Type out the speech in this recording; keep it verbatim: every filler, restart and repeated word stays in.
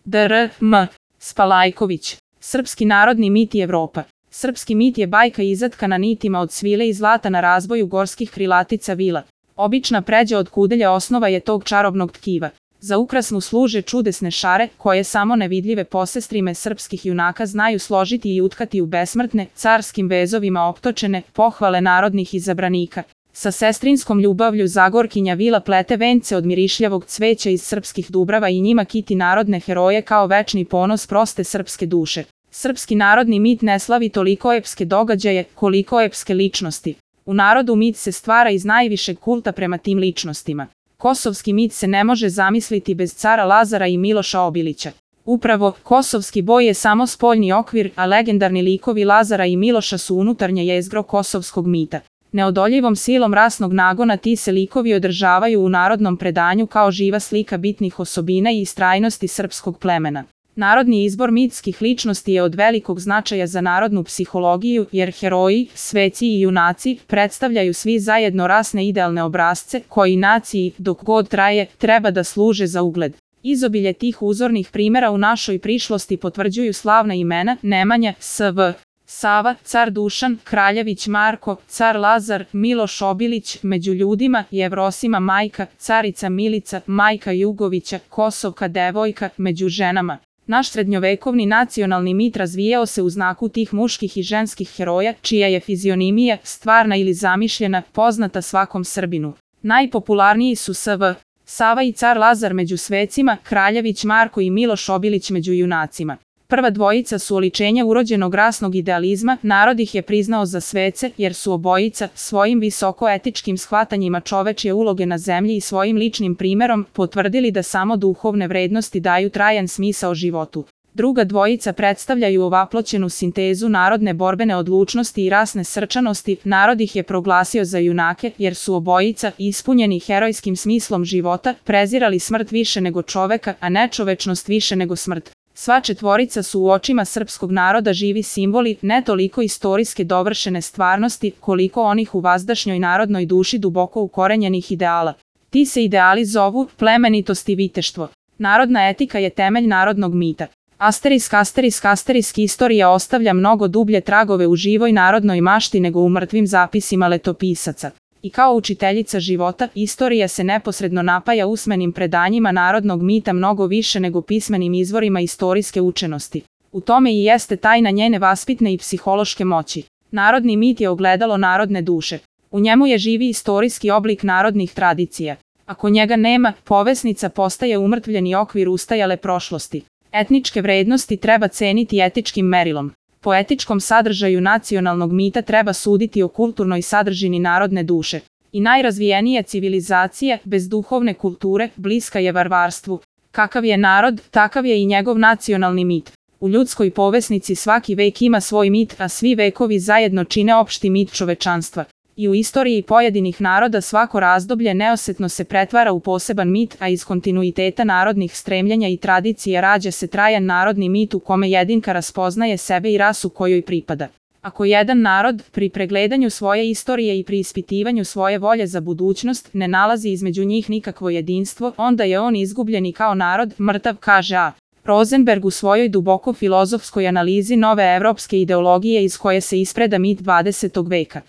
dr M. Spalajković. Srpski narodni mit i Evropa. Srpski mit je bajka izatkana nitima od svile i zlata na razvoju gorskih krilatica vila. Obična pređa od kudelja osnova je tog čarobnog tkiva. Za ukras mu služe čudesne šare, koje samo nevidljive posestrime srpskih junaka znaju složiti i utkati u besmrtne, carskim vezovima optočene, pohvale narodnih izabranika. Sa sestrinskom ljubavlju Zagorkinja vila plete vence od mirišljavog cveća iz srpskih dubrava i njima kiti narodne heroje kao večni ponos proste srpske duše. Srpski narodni mit ne slavi toliko epske događaje, koliko epske ličnosti. U narodu mit se stvara iz najvišeg kulta prema tim ličnostima. Kosovski mit se ne može zamisliti bez cara Lazara i Miloša Obilića. Upravo, kosovski boj je samo spoljni okvir, a legendarni likovi Lazara i Miloša su unutarnje jezgro kosovskog mita. Neodoljivom silom rasnog nagona ti se likovi održavaju u narodnom predanju kao živa slika bitnih osobina i istrajnosti srpskog plemena. Narodni izbor mitskih ličnosti je od velikog značaja za narodnu psihologiju, jer heroji, sveci i junaci predstavljaju svi zajedno rasne idealne obrazce, koji naciji, dok god traje, treba da služe za ugled. Izobilje tih uzornih primjera u našoj prišlosti potvrđuju slavna imena Nemanja, S V Sava, car Dušan, Kraljević Marko, car Lazar, Miloš Obilić, među ljudima, Jevrosima majka, carica Milica, majka Jugovića, Kosovka devojka, među ženama. Naš srednjovekovni nacionalni mit razvijao se u znaku tih muških i ženskih heroja, čija je fizionimija, stvarna ili zamišljena, poznata svakom Srbinu. Najpopularniji su S V Sava i car Lazar među svecima, Kraljević Marko i Miloš Obilić među junacima. Prva dvojica su oličenja urođenog rasnog idealizma, narod ih je priznao za svece, jer su obojica, svojim visoko-etičkim shvatanjima čovečje uloge na zemlji i svojim ličnim primjerom, potvrdili da samo duhovne vrednosti daju trajan smisao životu. Druga dvojica predstavljaju ovaploćenu sintezu narodne borbene odlučnosti i rasne srčanosti, narod ih je proglasio za junake, jer su obojica, ispunjeni herojskim smislom života, prezirali smrt više nego čoveka, a nečovečnost više nego smrt. Sva četvorica su u očima srpskog naroda živi simboli, ne toliko istorijske dovršene stvarnosti, koliko onih u vazdašnjoj narodnoj duši duboko ukorenjenih ideala. Ti se ideali zovu plemenitost i viteštvo. Narodna etika je temelj narodnog mita. Asterisk, asterisk, asterisk, istorija ostavlja mnogo dublje tragove u živoj narodnoj mašti nego u mrtvim zapisima letopisaca. I kao učiteljica života, istorija se neposredno napaja usmenim predanjima narodnog mita mnogo više nego pismenim izvorima istorijske učenosti. U tome i jeste tajna njene vaspitne i psihološke moći. Narodni mit je ogledalo narodne duše. U njemu je živi istorijski oblik narodnih tradicija. Ako njega nema, povesnica postaje umrtvljeni okvir ustajale prošlosti. Etničke vrednosti treba ceniti etičkim merilom. Po etičkom sadržaju nacionalnog mita treba suditi o kulturnoj sadržini narodne duše. I najrazvijenija civilizacija, bez duhovne kulture, bliska je varvarstvu. Kakav je narod, takav je i njegov nacionalni mit. U ljudskoj povesnici svaki vek ima svoj mit, a svi vekovi zajedno čine opšti mit čovečanstva. I u istoriji pojedinih naroda svako razdoblje neosetno se pretvara u poseban mit, a iz kontinuiteta narodnih stremljenja i tradicija rađa se trajan narodni mit u kome jedinka raspoznaje sebe i rasu kojoj pripada. Ako jedan narod, pri pregledanju svoje istorije i pri ispitivanju svoje volje za budućnost, ne nalazi između njih nikakvo jedinstvo, onda je on izgubljeni kao narod, mrtav, kaže A. Rosenberg u svojoj duboko filozofskoj analizi nove evropske ideologije iz koje se ispreda mit dvadesetog veka.